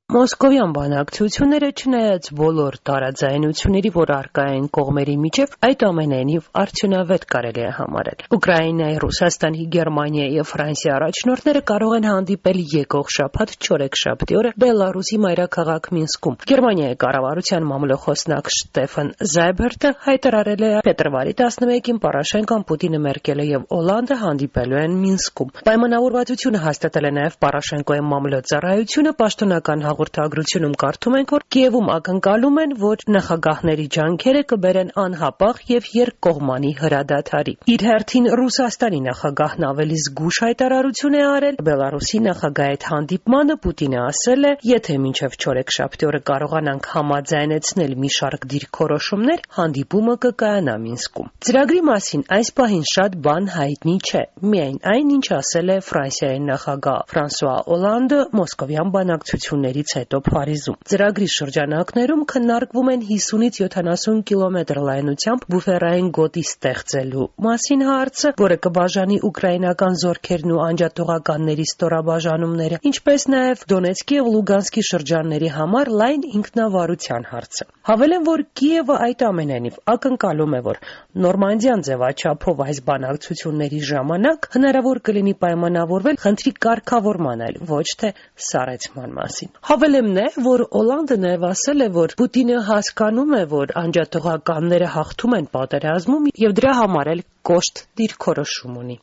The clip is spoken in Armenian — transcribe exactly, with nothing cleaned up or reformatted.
Մոսկովյան բանակցությունները, չնայած բոլոր տարաձայնությունների, որ առկա են կողմերի միջև, այդ ամենայնիվ արդյունավետ կարելի է համարել։ Ուկրաինայի, Ռուսաստանի, Գերմանիայի եւ Ֆրանսիայի առաջնորդները կարող են հանդիպել եկող շաբաթ չորեքշաբթի օրը Բելարուսի մայրաքաղաք Մինսկում։ Գերմանիայի կառավարության մամլոխոսնակ Շտեֆան Զայբերտը հայտարարել է փետրվարի տասնմեկին Պորոշենկոն, Պուտինը, Մերկելը եւ Օլանդը հանդիպելու են Մինսկում։ Պայմանավորվածությունը հաստատել է նաեւ Պորոշենկոյի մամլոյցարայությունը, պաշտոնական հաղորդագրությունում կարդում ենք, որ Կիևում ակնկալում են, որ նախագահների ջանքերը կբերեն անհապաղ եւ երկկողմանի հրադադարի։ Իր հերթին Ռուսաստանի նախագահն ավելի զգուշ հայտարարություն է արել Բելարուսի նախագահի հետ հանդիպմանը։ Պուտինը ասել է, եթե մինչև չորեքշաբթի օրը կարողանանք համաձայնեցնել մի շարք դիրքորոշումներ, հանդիպումը կկայանա Մինսկում։ Ծրագրի մասին այս պահին շատ բան հայտնի չէ, միայն այն, ինչ ասել է Ֆրանսիայի նախագահ Ֆրանսուଆ Օլանդը մոսկովյան բանակցություններից հետո Փարիզում։ Ծրագրի շրջանակներում քննարկվում են հիսունից յոթանասուն կիլոմետր լայնությամբ բուֆերային գոտի ստեղծելու մասին հարցը, որը կբաժանի ուկրաինական զորքերն ու անջատողականների ստորաբաժանումները, ինչպես նաև Դոնեցկի եւ Լուգանսկի շրջանների համար լայն ինքնավարության հարցը։ Հավելեմ, որ Կիևը այդ ամենայնիվ ակնկալում է, որ Նորմանդիան ձևաչափով այս բանակցությունների ժամանակ հնարավոր կլինի պայմանավորվել խնդրի կարգավորման, այլ ոչ թե սառեցման մասին։ Հավելեմ նաև, որ Օլանդը նաև ասել է, որ Պուտինը հասկանում է, որ անջատողականները հաղթում են պատերազմում եւ դրա համար էլ կոշտ դիրքորոշում ունի։